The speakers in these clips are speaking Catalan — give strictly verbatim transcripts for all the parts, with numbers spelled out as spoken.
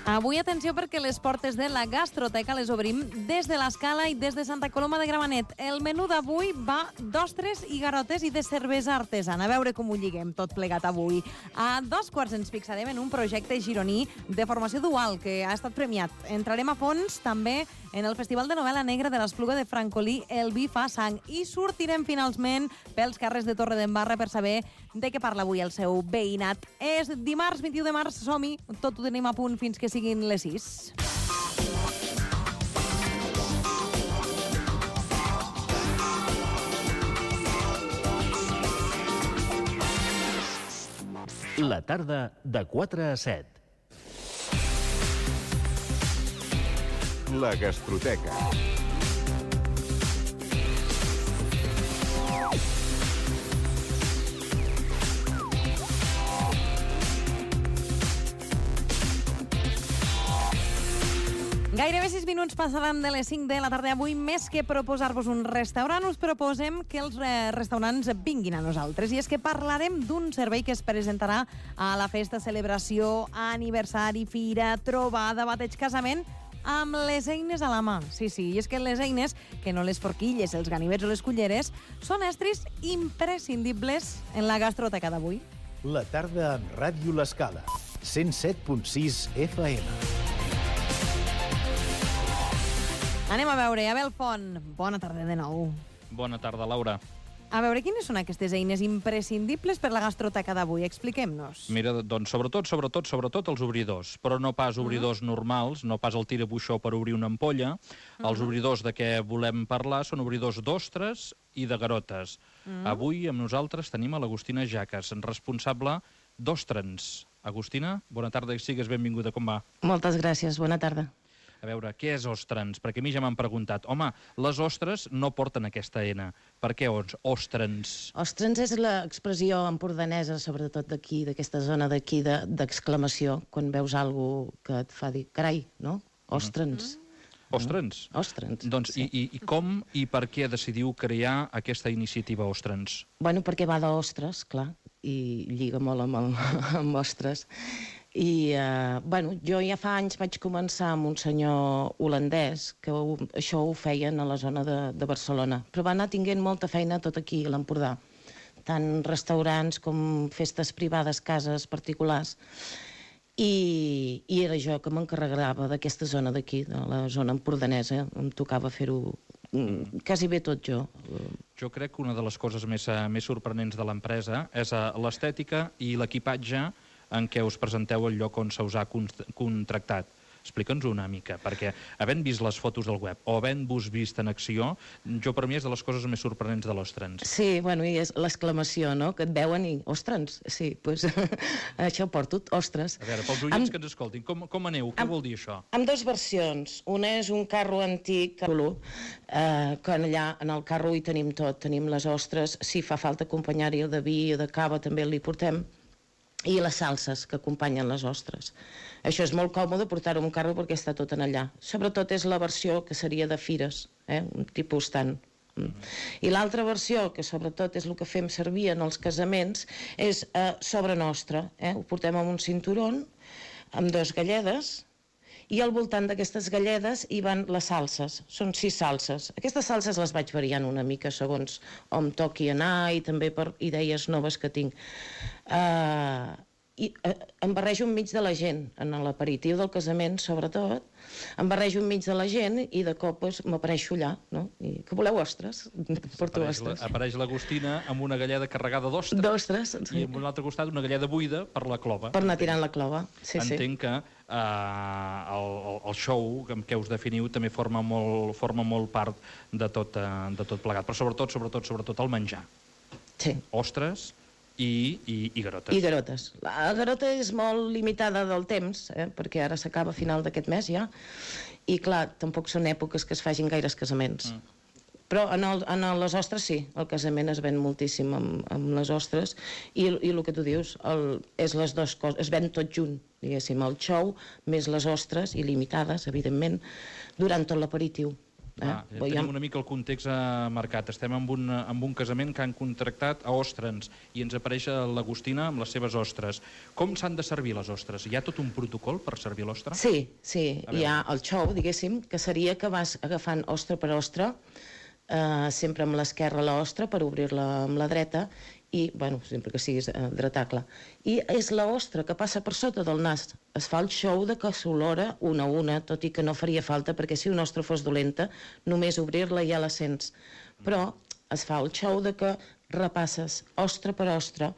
Avui atenció perquè les portes de la gastroteca les obrim des de l'Escala i des de Santa Coloma de Gramenet. El menú d'avui va d'ostres i garotes i de cervesa artesana. A veure com ho lliguem tot plegat avui. A dos quarts ens fixarem en un projecte gironí de formació dual que ha estat premiat. Entrarem a fons també en el Festival de Novel·la Negra de l'Espluga de Francolí, El vi fa sang, i sortirem finalment pels carrers de Torredembarra per saber de què parla avui el seu veïnat. És dimarts vint-i-u de març, som-hi, tot ho tenim a punt fins que siguin les sis. La tarda de quatre a set. La gastroteca. Gairebé sis minuts passaran de les cinc de la tarda. Avui, més que proposar-vos un restaurant, us proposem que els eh, restaurants vinguin a nosaltres. I és que parlarem d'un servei que es presentarà a la festa, celebració, aniversari, fira, trobada, bateig, casament, amb les eines a la mà. Sí, sí, i és que les eines, que no les forquilles, els ganivets o les culleres, són estris imprescindibles en la gastroteca d'avui. La tarda amb Ràdio L'Escala, cent set punt sis F M. Anem a veure, Abel Font, bona tarda de nou. Bona tarda, Laura. A veure, quines són aquestes eines imprescindibles per la gastroteca d'avui? Expliquem-nos. Mira, doncs, sobretot, sobretot, sobretot els obridors, però no pas obridors uh-huh. normals, no pas el tirabuixó per obrir una ampolla. Uh-huh. Els obridors de què volem parlar són obridors d'ostres i de garotes. Uh-huh. Avui amb nosaltres tenim a l'Agustina Jaques, responsable d'Ostrens. Agustina, bona tarda i sigues benvinguda, com va? Moltes gràcies, bona tarda. A veure, què és ostrens? Perquè a mi ja m'han preguntat, home, les ostres no porten aquesta ena. Per què ostrens? Ostrens és l'expressió empordanesa, sobretot d'aquí, d'aquesta zona d'aquí, d'exclamació, quan veus alguna que et fa dir, carai, no? Ostrens. Mm. Ostrens? No? Ostrens, doncs, sí. i, i, I com i per què decidiu crear aquesta iniciativa Ostrens? Bueno, perquè va d'ostres, clar, i lliga molt amb, el, amb ostres. I, eh, bueno, jo ja fa anys vaig començar amb un senyor holandès que ho, això ho feien a la zona de, de Barcelona, però va anar tinguent molta feina tot aquí a l'Empordà, tant restaurants com festes privades, cases particulars, i, i era jo que m'encarregava d'aquesta zona d'aquí, de la zona empordanesa, em tocava fer-ho quasi bé tot jo. Jo crec que una de les coses més, més sorprenents de l'empresa és l'estètica i l'equipatge en què us presenteu el lloc on se us ha contractat. Explica'ns una mica, perquè havent vist les fotos del web o havent-vos vist en acció, jo per mi és de les coses més sorprenents de l'Ostrens. Sí, bueno, i és l'exclamació, no?, que et veuen i, ostres, sí, doncs això porto, ostres. A veure, pels oients amb... que ens escoltin, com, com aneu? Què amb, vol dir això? Amb dues versions. Una és un carro antic, eh, que allà en el carro hi tenim tot, tenim les ostres, si fa falta acompanyar-hi de vi o de cava també li portem, i les salses que acompanyen les ostres. Això és molt còmode portar-ho en un carro perquè està tot en allà. Sobretot és la versió que seria de fires, eh? Un tipus tant. Mm. I l'altra versió, que sobretot és el que fem servir en els casaments, és eh, sobre nostre. Eh? Ho portem amb un cinturon, amb dos galledes, i al voltant d'aquestes galledes hi van les salses. Són sis salses. Aquestes salses les vaig variant una mica segons on toqui anar i també per idees noves que tinc. Uh, i uh, em barrejo enmig de la gent, en l'aperitiu del casament sobretot, em barrejo enmig de la gent i de cop pues, m'apareixo allà, no? I que voleu ostres? Porto apareix ostres. La, apareix l'Agustina amb una galleda carregada d'ostres. D'ostres, sí. I amb un altre costat una galleda buida per la clova. Per anar tirant la clova, sí, sí. Entenc que uh, el, el show amb què us definiu també forma molt, forma molt part de tot, uh, de tot plegat, però sobretot, sobretot, sobretot el menjar. Sí. Ostres i, i, i garotes. I garotes. La garota és molt limitada del temps, eh? Perquè ara s'acaba a final d'aquest mes ja, i clar, tampoc són èpoques que es facin gaires casaments. Mm. Però en, el, en les ostres sí, el casament es ven moltíssim amb, amb les ostres, i, i el que tu dius, el, és les dues coses, es ven tot junt, diguéssim, el xou més les ostres, il·limitades, evidentment, durant tot l'aperitiu. Eh? Ah, ja tenim una mica el context eh, marcat. Estem en un, en un casament que han contractat a ostres i ens apareix l'Agustina amb les seves ostres. Com s'han de servir les ostres? Hi ha tot un protocol per servir l'ostra? Sí, sí. Hi ha el xou, diguéssim, que seria que vas agafant ostra per ostra, eh, sempre amb l'esquerra l'ostra per obrir-la amb la dreta, i, bueno, sempre que siguis eh, dretable. I és l'ostra que passa per sota del nas. Es fa el xou de que s'olora una a una, tot i que no faria falta, perquè si una ostra fos dolenta, només obrir-la ja la sents. Però es fa el xou de que repasses ostra per ostra,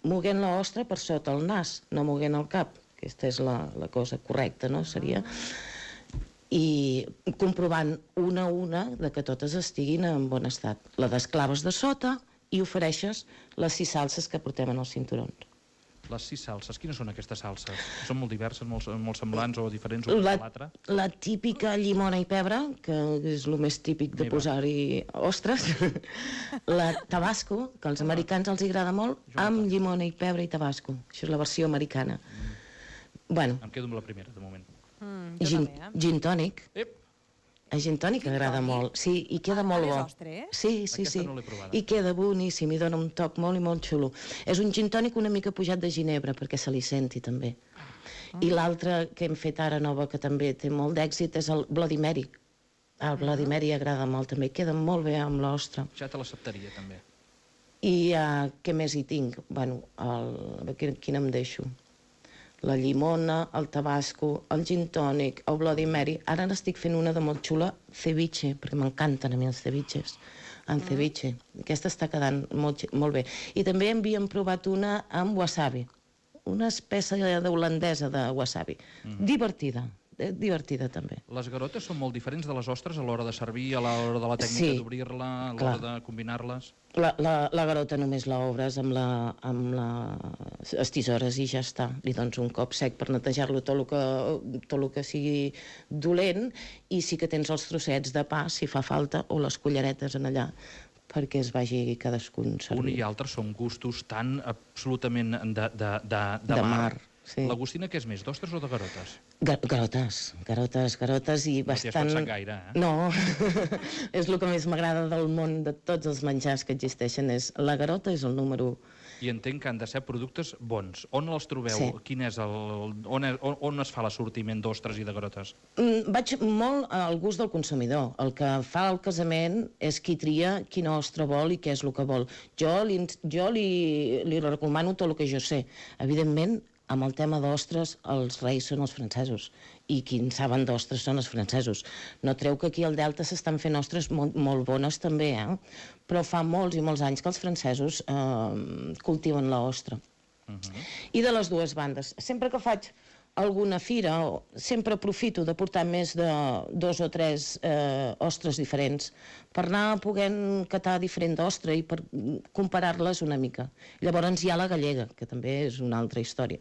moguent l'ostra per sota el nas, no moguent el cap. Aquesta és la, la cosa correcta, no? Seria... I comprovant una a una de que totes estiguin en bon estat. La desclaves de sota i ofereixes les sis salses que portem en els cinturons. Les sis salses, quines són aquestes salses? Són molt diverses, molt, molt semblants o diferents una la, de l'altra? La típica llimona i pebre, que és el més típic de posar-hi ostres. La tabasco, que als americans els agrada molt, amb llimona i pebre i tabasco. Això és la versió americana. Mm. Bueno. Em quedo amb la primera, de moment. Mm, gin, també, eh? Gin tònic. Ep. El gin tònic agrada molt, sí, i queda molt bo. Sí, sí, sí. I queda boníssim, i dona un toc molt i molt xulo. És un gin tònic una mica pujat de ginebra, perquè se li senti també. I l'altre que hem fet ara nova, que també té molt d'èxit, és el Bloody Mary. El Bloody Mary agrada molt també, queda molt bé amb l'ostra. Ja te l'acceptaria també. I què més hi tinc? Bueno, quin em deixo? La llimona, el tabasco, el gin tònic, el Bloody Mary. Ara n'estic fent una de molt xula, ceviche, perquè m'encanten a mi els ceviches, en ceviche. Aquesta està quedant molt, molt bé. I també havíem provat una amb wasabi, una espècie d'holandesa de wasabi. Mm. Divertida, divertida també. Les garotes són molt diferents de les ostres a l'hora de servir, a l'hora de la tècnica sí, d'obrir-la, a l'hora de combinar-les? La, la, la garota només l'obres amb, la, amb la, les tisores i ja està. Li dones un cop sec per netejar-lo tot el que, tot el que sigui dolent, i sí que tens els trossets de pa, si fa falta, o les culleretes en allà, perquè es vagi cadascun servir. Un i altre són gustos tan absolutament de, de, de, de, de mar. mar. Sí. L'Agustina què és més, d'ostres o de garotes? Gar garotes, garotes, garotes i bastant... No t'hi has pensat gaire, eh? No, és el que més m'agrada del món, de tots els menjars que existeixen, és la garota és el número... I entenc que han de ser productes bons. On els trobeu? Sí. Quin és el... On, és, on, on es fa l'assortiment d'ostres i de garotes? Mm, vaig molt al gust del consumidor. El que fa el casament és qui tria quina ostra vol i què és el que vol. Jo li, jo li, li recomano tot el que jo sé. Evidentment, amb el tema d'ostres, els reis són els francesos, i qui en saben d'ostres són els francesos. No treu que aquí al Delta s'estan fent ostres molt, molt bones també, eh? Però fa molts i molts anys que els francesos eh, cultiven l'ostra. Uh-huh. I de les dues bandes. Sempre que faig alguna fira, sempre aprofito de portar més de dos o tres eh, ostres diferents, per anar podent catar diferent d'ostra i per comparar-les una mica. Llavors hi ha la gallega, que també és una altra història.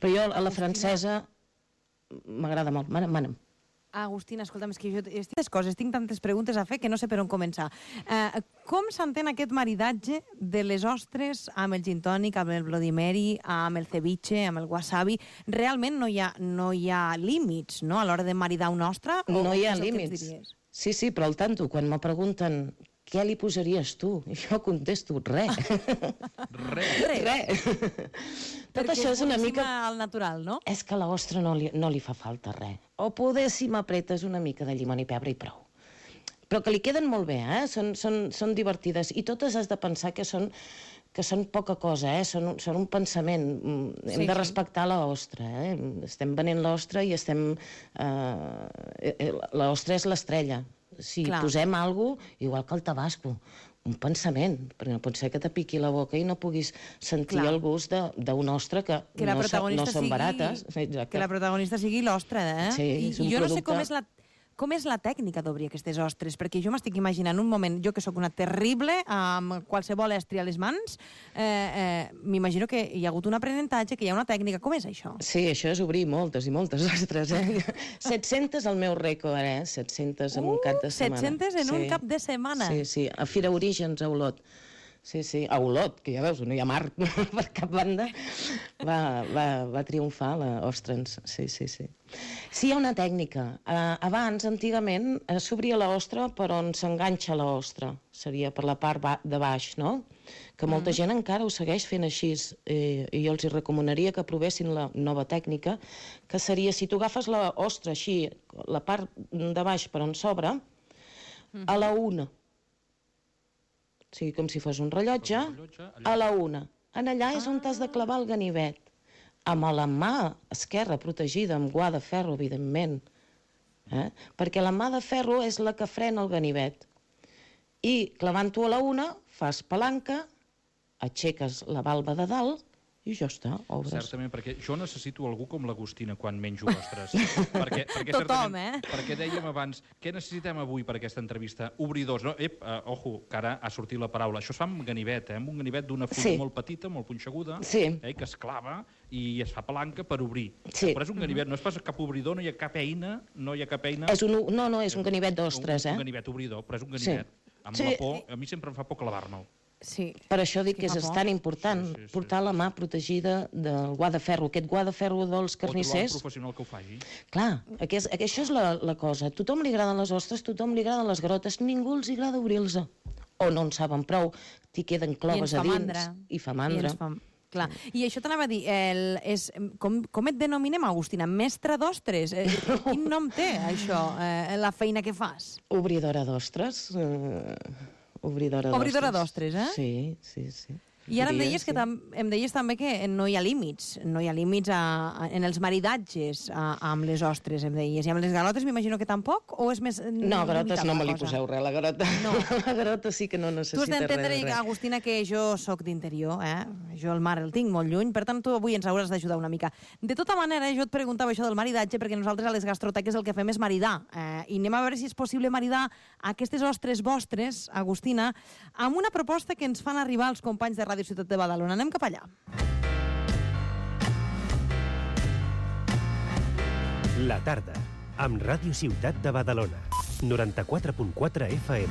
Però jo, a la francesa, m'agrada molt. Mana'm, mana'm. Agustina, escolta'm, és que jo estic coses, tinc tantes preguntes a fer que no sé per on començar. Eh, com s'entén aquest maridatge de les ostres amb el gin tònic, amb el Bloody Mary, amb el ceviche, amb el wasabi? Realment no hi ha, no hi ha límits, no?, a l'hora de maridar una ostra? No hi ha límits. Sí, sí, però al tanto, quan me pregunten què li posaries tu? I jo contesto, res. Res. Res. Tot això és una mica... al natural, no? És que a l'ostra no li, no li fa falta res. O poder, si m'apretes una mica de llimona i pebre i prou. Però que li queden molt bé, eh? Són, són, són divertides. I totes has de pensar que són, que són poca cosa, eh? Són, són un pensament. Hem sí, de respectar sí. l'ostra, eh? Estem venent l'ostra i estem... Eh, l'ostra és l'estrella. Si Clar. posem alguna cosa, igual que el tabasco, un pensament, perquè no pot ser que te piqui la boca i no puguis sentir Clar. el gust d'una ostra que, que no, so, no són sigui, barates. Exacte. Que la protagonista sigui l'ostra, eh? Sí, és un I jo producte... no sé com és la... Com és la tècnica d'obrir aquestes ostres? Perquè jo m'estic imaginant un moment, jo que sóc una terrible, amb qualsevol estri a les mans, eh, eh, m'imagino que hi ha hagut un aprenentatge, que hi ha una tècnica. Com és això? Sí, això és obrir moltes i moltes ostres, eh? set-centes el meu rècord, eh? set-centes en uh, un cap de setmana. set-centes en sí. un cap de setmana? Sí, sí, a Fira Orígens, a Olot. Sí, sí, a Olot, que ja veus, no hi ha mar per cap banda, va, va, va triomfar l'ostres, sí, sí, sí. Sí, hi ha una tècnica. Uh, abans, antigament, uh, s'obria l'ostra per on s'enganxa l'ostra. Seria per la part ba de baix, no? Que molta mm. gent encara ho segueix fent així. Eh, I jo els hi recomanaria que provessin la nova tècnica, que seria, si tu agafes l'ostra així, la part de baix per on s'obre, mm. a la una. O sigui, com si fos un rellotge, a la una. En allà és on t'has de clavar el ganivet. Amb la mà esquerra protegida, amb guà de ferro, evidentment. Eh? Perquè la mà de ferro és la que frena el ganivet. I clavant-ho a la una, fas palanca, aixeques la valva de dalt i ja està, obres. Certament, perquè jo necessito algú com l'Agustina quan menjo ostres. perquè, perquè, Tothom, eh? Perquè dèiem abans, què necessitem avui per aquesta entrevista? Obridors, no? Ep, uh, ojo, que ara ha sortit la paraula. Això es fa amb ganivet, eh? Amb un ganivet d'una fulla sí. molt petita, molt punxeguda, sí. eh? que es clava i es fa palanca per obrir. Sí. Però és un ganivet, no és pas cap obridor, no hi ha cap eina, no hi ha cap eina... És un, no, no, és un ganivet d'ostres, eh? Un ganivet obridor, però és un ganivet. Sí. Amb sí. la por, a mi sempre em fa por clavar-me'l. Sí. Per això dic que és tan important sí, sí, sí. portar la mà protegida del guà de ferro. Aquest guà de ferro dels carnissers... O trobar un professional que ho faci. Clar, aquest, això és la, la cosa. A tothom li agraden les ostres, a tothom li agraden les garotes, ningú els agrada obrir-los. O no en saben prou, t'hi queden cloves a dins. Mandra. I fa mandra. I fa... Clar. I això t'anava a dir, el, és, com, com et denominem, Agustina? Mestre d'ostres? Eh, quin nom té, això, eh, la feina que fas? Obridora d'ostres. Eh, obridora d'ostres. Obridora d'ostres, eh? Sí, sí, sí. I ara em deies, que tam em deies també que no hi ha límits, no hi ha límits a, a, en els maridatges a, amb les ostres, em deies. I amb les garotes m'imagino que tampoc, o és més... No, garotes no me li poseu res, la garota. No. La garota sí que no necessita res. Tu has d'entendre, Agustina, que jo sóc d'interior, eh? Jo el mar el tinc molt lluny, per tant tu avui ens hauràs d'ajudar una mica. De tota manera, jo et preguntava això del maridatge, perquè nosaltres a les gastroteques el que fem és maridar. Eh? I anem a veure si és possible maridar aquestes ostres vostres, Agustina, amb una proposta que ens fan arribar els companys de Ràdio Ciutat de Badalona. Anem cap allà. La tarda, amb Ràdio Ciutat de Badalona. noranta-quatre punt quatre F M.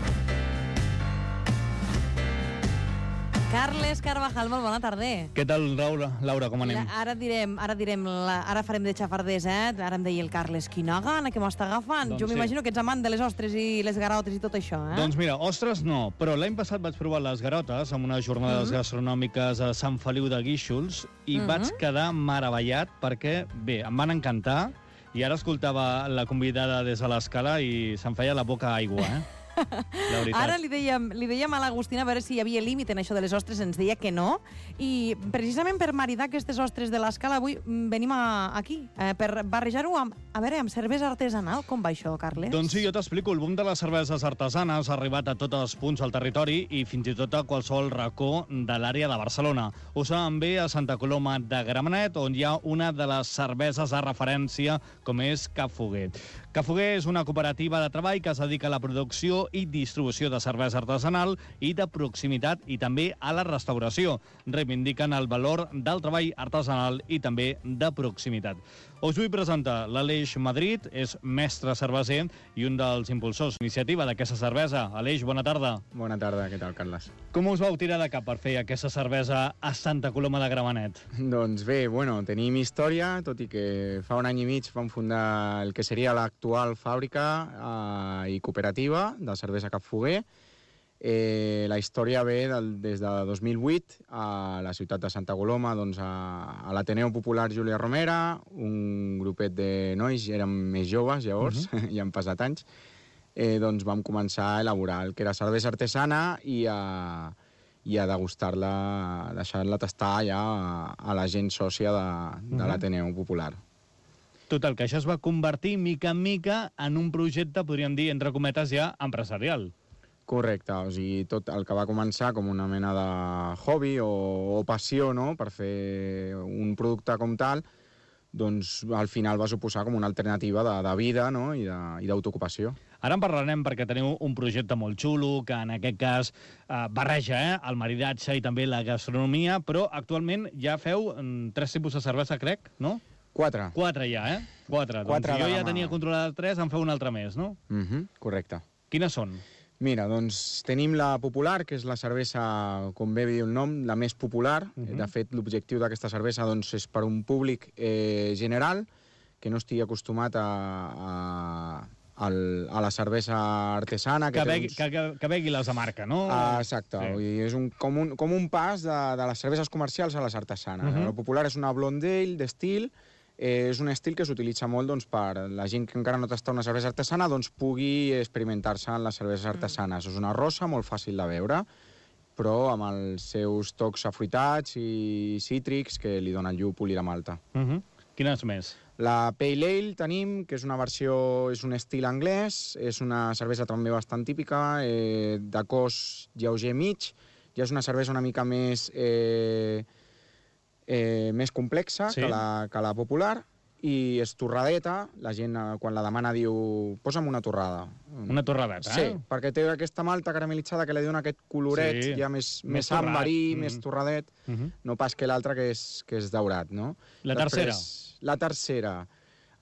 Carles Carvajal, molt bona tarda. Què tal, Laura? Laura, com anem? Mira, ara direm, ara direm, la, ara farem de xafarders, eh? Ara em deia el Carles, quina gana que m'està agafant. Doncs jo m'imagino sí. que ets amant de les ostres i les garotes i tot això, eh? Doncs mira, ostres no, però l'any passat vaig provar les garotes amb unes jornades mm -hmm. gastronòmiques a Sant Feliu de Guíxols i mm -hmm. vaig quedar meravellat perquè, bé, em van encantar i ara escoltava la convidada des de l'escala i se'm feia la boca aigua, eh? Ara li dèiem, li dèiem a l'Agustina a veure si hi havia límit en això de les ostres, ens deia que no, i precisament per maridar aquestes ostres de l'escala avui venim a, aquí, eh, per barrejar-ho amb, a veure, amb cervesa artesanal. Com va això, Carles? Doncs sí, jo t'explico. El boom de les cerveses artesanes ha arribat a tots els punts del territori i fins i tot a qualsevol racó de l'àrea de Barcelona. Ho saben bé a Santa Coloma de Gramenet, on hi ha una de les cerveses de referència, com és Cap Foguer. Cap Foguer és una cooperativa de treball que es dedica a la producció i distribució de cervesa artesanal i de proximitat i també a la restauració. Reivindiquen el valor del treball artesanal i també de proximitat. Us vull presentar l'Aleix Madrid, és mestre cerveser i un dels impulsors d'iniciativa d'aquesta cervesa. Aleix, bona tarda. Bona tarda, què tal, Carles? Com us vau tirar de cap per fer aquesta cervesa a Santa Coloma de Gramenet? Doncs bé, bueno, tenim història, tot i que fa un any i mig vam fundar el que seria l'actual fàbrica eh, i cooperativa de cervesa Cap Foguer. Eh, la història ve del, des de dos mil vuit a la ciutat de Santa Coloma, doncs a, a l'Ateneu Popular Júlia Romera, un grupet de nois, érem més joves llavors, uh -huh. ja han passat anys, eh, doncs vam començar a elaborar el que era cervesa artesana i a, i a degustar-la, a deixar-la tastar ja a, a la gent sòcia de, de uh -huh. l'Ateneu Popular. Total, que això es va convertir mica en mica en un projecte, podríem dir, entre cometes, ja empresarial. Correcte, o sigui, tot el que va començar com una mena de hobby o, o passió, no?, per fer un producte com tal, doncs al final va suposar com una alternativa de, de vida, no?, i d'autoocupació. Ara en parlarem perquè teniu un projecte molt xulo, que en aquest cas eh, barreja eh, el maridatge i també la gastronomia, però actualment ja feu mm, tres tipus de cervesa, crec, no? Quatre. Quatre ja, eh? Quatre. Quatre doncs si jo ja mà. tenia controlades tres, en feu un altre més, no? Mhm, uh-huh, correcte. Quines són? Mira, doncs tenim la popular, que és la cervesa, com bé diu el nom, la més popular. Uh-huh. De fet, l'objectiu d'aquesta cervesa doncs, és per un públic eh, general, que no estigui acostumat a, a, a, a la cervesa artesana. Que, Que, begui, uns... que, que, que begui les de marca, no? Ah, exacte, Sí. vull dir, és un, com, un, com un pas de, de les cerveses comercials a les artesanes. Mhm. La popular és una blonde ale d'estil, eh, és un estil que s'utilitza molt doncs, per la gent que encara no tasta una cervesa artesana doncs, pugui experimentar-se en les cerveses artesanes. Mm. És una rosa molt fàcil de veure, però amb els seus tocs afruitats i cítrics que li donen llúpol i la malta. Uh -huh. Quines més? La Pale Ale tenim, que és una versió, és un estil anglès, és una cervesa també bastant típica, eh, de cos lleuger mig, ja és una cervesa una mica més, eh, eh, més complexa Sí. que, la, que la popular, i és torradeta, la gent eh, quan la demana diu posa'm una torrada. Una torradeta, Sí, eh? perquè té aquesta malta caramelitzada que li dona aquest coloret Sí. ja més, Més més torrat. amberí, Mm. més torradet, Uh -huh. no pas que l'altre que, és, que és daurat, no? La Després, la tercera.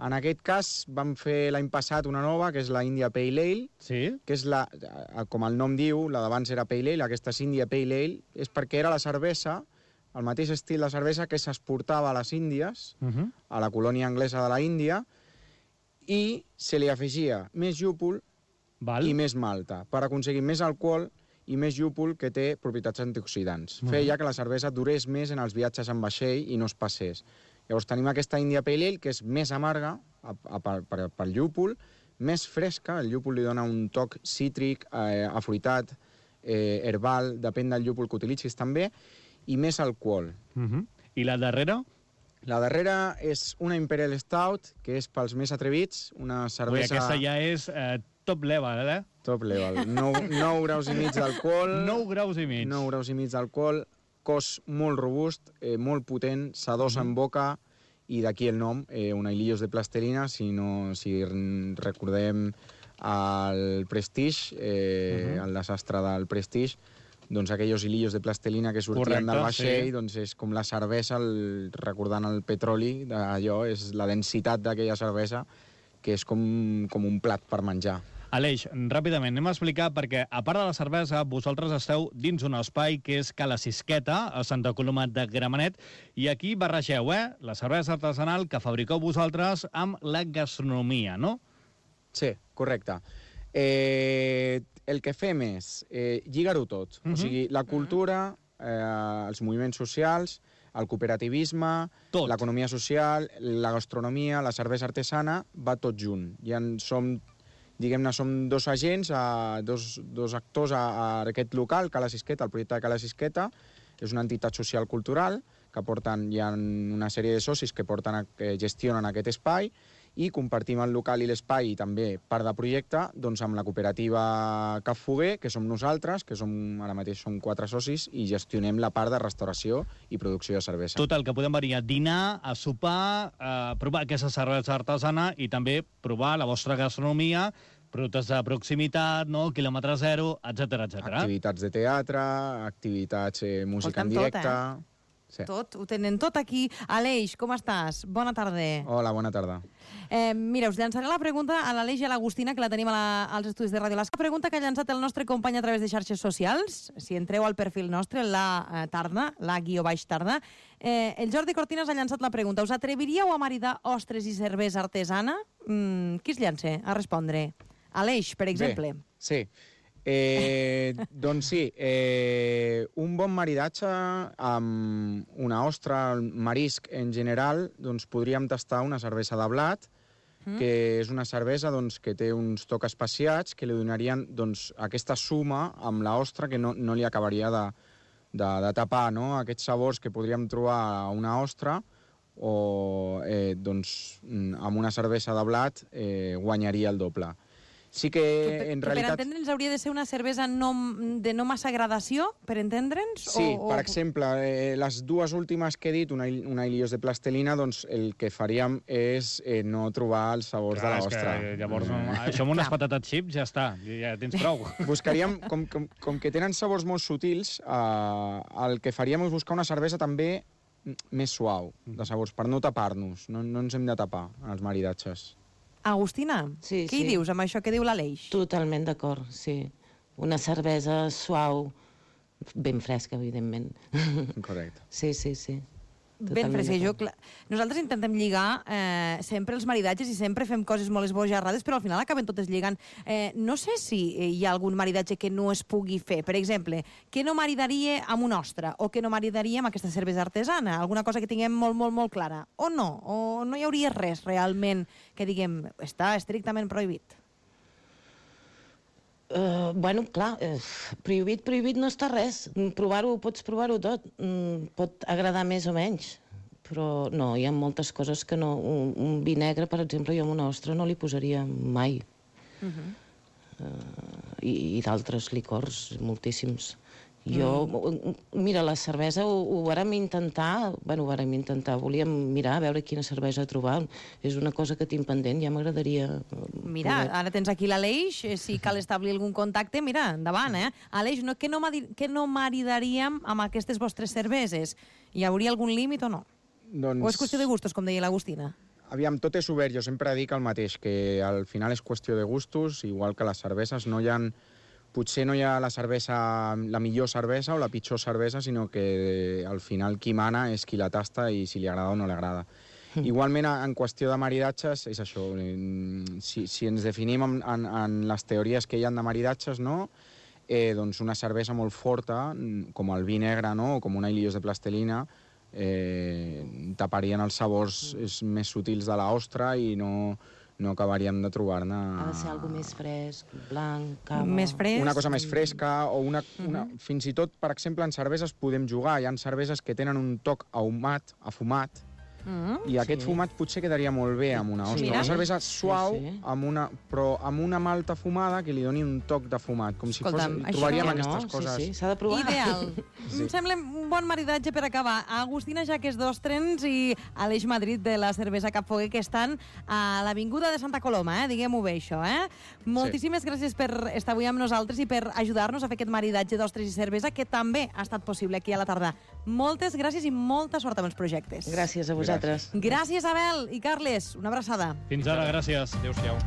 En aquest cas vam fer l'any passat una nova, que és la India Pale Ale, Sí? que és la, eh, com el nom diu, la d'abans era Pale Ale, aquesta és India Pale Ale, és perquè era la cervesa, el mateix estil de cervesa que s'exportava a les Índies, Uh -huh. a la colònia anglesa de la Índia, i se li afegia més llúpol Val. i més malta, per aconseguir més alcohol i més llúpol que té propietats antioxidants. Mhm. Feia que la cervesa durés més en els viatges en vaixell i no es passés. Llavors tenim aquesta India Pale Ale, que és més amarga a, a, per, per, pel llúpol, més fresca, el llúpol li dona un toc cítric, eh, afruitat, eh, herbal, depèn del llúpol que utilitzis també, i més alcohol. Uh -huh. I la darrera? La darrera és una Imperial Stout, que és pels més atrevits, una Ui, cervesa... aquesta ja és eh, top level, eh? Top level. nou graus i mig d'alcohol. nou graus i mig. nou graus i mig d'alcohol, cos molt robust, eh, molt potent, s'adosa Mhm. en boca, i d'aquí el nom, eh, una hilillos de plastelina, si, no, si recordem el Prestige, eh, Mhm. el desastre del Prestige, doncs aquells hilillos de plastelina que sortien Correcte, del vaixell, sí. doncs és com la cervesa, el, recordant el petroli, allò és la densitat d'aquella cervesa, que és com, com un plat per menjar. Aleix, ràpidament, anem a explicar, perquè a part de la cervesa, vosaltres esteu dins un espai que és Cala Sisqueta, a Santa Coloma de Gramenet, i aquí barregeu, eh?, la cervesa artesanal que fabriqueu vosaltres amb la gastronomia, no? Sí, correcte. Eh, el que fem és eh, lligar-ho tot. Mhm. O sigui, la cultura, eh, els moviments socials, el cooperativisme, Tot. l'economia social, la gastronomia, la cervesa artesana, va tot junt. Ja en som, diguem-ne, som dos agents, a, dos, dos actors a, a aquest local, Cala Sisqueta, el projecte de Cala Sisqueta. És una entitat social cultural que porten, hi ha una sèrie de socis que, porten a, que gestionen aquest espai, i compartim el local i l'espai, i també part de projecte, doncs amb la cooperativa Cap Foguer, que som nosaltres, que som, ara mateix som quatre socis, i gestionem la part de restauració i producció de cervesa. Tot el que podem venir a dinar, a sopar, a provar aquesta cervesa artesana i també provar la vostra gastronomia, productes de proximitat, no? Quilòmetre zero, etcètera, etcètera. Activitats de teatre, activitats, eh, música en Escolta'm tot, directe... Sí. Tot, ho tenen tot aquí. Aleix, com estàs? Bona tarda. Hola, bona tarda. Eh, mira, us llançaré la pregunta a l'Aleix i a l'Agustina, que la tenim a la, als estudis de Ràdio L'Escala. La pregunta que ha llançat el nostre company a través de xarxes socials, si entreu al perfil nostre, la eh, tarda, la guió baix tarda, eh, el Jordi Cortines ha llançat la pregunta. Us atreviríeu a maridar ostres i cervesa artesana? Mm, qui es llança a respondre? Aleix, per exemple. Bé, sí. Eh, doncs sí, eh, un bon maridatge amb una ostra, marisc en general, doncs podríem tastar una cervesa de blat, mm. que és una cervesa doncs, que té uns tocs especiats que li donarien doncs, aquesta suma amb l'ostra que no, no li acabaria de, de, de tapar, no? Aquests sabors que podríem trobar a una ostra, o eh, doncs, amb una cervesa de blat eh, guanyaria el doble. Sí que, que en que realitat... Per entendre'ns hauria de ser una cervesa no, de no massa gradació, per entendre'ns? Sí, o, per o... exemple, eh, les dues últimes que he dit, una, una Ilios de plastelina, doncs el que faríem és eh, no trobar els sabors Clar, de és l'ostra. que, llavors, no, això amb unes patates xips ja està, ja tens prou. Buscaríem, com, com, com que tenen sabors molt sutils, eh, el que faríem és buscar una cervesa també més suau, de sabors, per no tapar-nos. No, no ens hem de tapar, en els maridatges. Agustina, Sí, què sí. hi dius amb això que diu l'Aleix? Totalment d'acord, sí. Una cervesa suau, ben fresca, evidentment. Correcte. Sí, sí, sí. Ben fresca. Jo, clar, nosaltres intentem lligar eh, sempre els maridatges i sempre fem coses molt esbojarrades, però al final acaben totes lligant. Eh, no sé si hi ha algun maridatge que no es pugui fer. Per exemple, què no maridaria amb una ostra o què no maridaria amb aquesta cervesa artesana? Alguna cosa que tinguem molt, molt, molt clara. O no? O no hi hauria res realment que diguem està estrictament prohibit? Uh, bueno, clar, uh, prohibit, prohibit no està res. Provar-ho, pots provar-ho tot. Mm, pot agradar més o menys. Però no, hi ha moltes coses que no... Un, un vi negre, per exemple, jo amb una ostra no li posaria mai. Uh-huh. uh, I i d'altres licors, moltíssims. Jo, mm. mira, la cervesa ho, ho vàrem intentar, bueno, ho vàrem intentar, volíem mirar a veure quina cervesa trobar. És una cosa que tinc pendent, ja m'agradaria... Mira, poder... ara tens aquí l'Aleix, si cal establir algun contacte, mira, endavant, eh? Aleix, no, què, no, què no maridaríem amb aquestes vostres cerveses? Hi hauria algun límit o no? Doncs... O és qüestió de gustos, com deia l'Agustina? Aviam, tot és obert, jo sempre dic el mateix, que al final és qüestió de gustos, igual que les cerveses, no hi ha... Potser no hi ha la cervesa, la millor cervesa o la pitjor cervesa, sinó que al final qui mana és qui la tasta i si li agrada o no li agrada. Mm. Igualment, en qüestió de maridatges, és això. Si, si ens definim en, en, en les teories que hi ha de maridatges, no? eh, doncs una cervesa molt forta, com el vi negre, no? O com una Ilios de plastelina, eh, taparien els sabors més sutils de l'ostra i no... no acabaríem de trobar-ne... Ha de ser alguna més fresc, blanc, cava... Més fresc? Una cosa més fresca o una... una uh-huh. Fins i tot, per exemple, en cerveses podem jugar. Hi ha cerveses que tenen un toc ahumat, afumat, uh-huh. i aquest sí. fumat potser quedaria molt bé amb una ostra. Sí. Una cervesa suau, sí, sí. Amb una, però amb una malta fumada que li doni un toc de fumat, com si Escolta'm, fos... Trobaríem no, aquestes sí, coses. Sí, s'ha de provar. Ideal. Sí. Em sembla un bon maridatge per acabar. Agustina Jaques d'Ostrens i Aleix Madrid de la cervesa Capfoguer, que estan a l'avinguda de Santa Coloma, eh? Diguem-ho bé, això, eh? Moltíssimes sí. gràcies per estar avui amb nosaltres i per ajudar-nos a fer aquest maridatge d'ostres i cervesa, que també ha estat possible aquí a la tarda. Moltes gràcies i molta sort amb els projectes. Gràcies a vosaltres. Gràcies, Abel i Carles. Una abraçada. Fins ara, gràcies. Adéu-siau.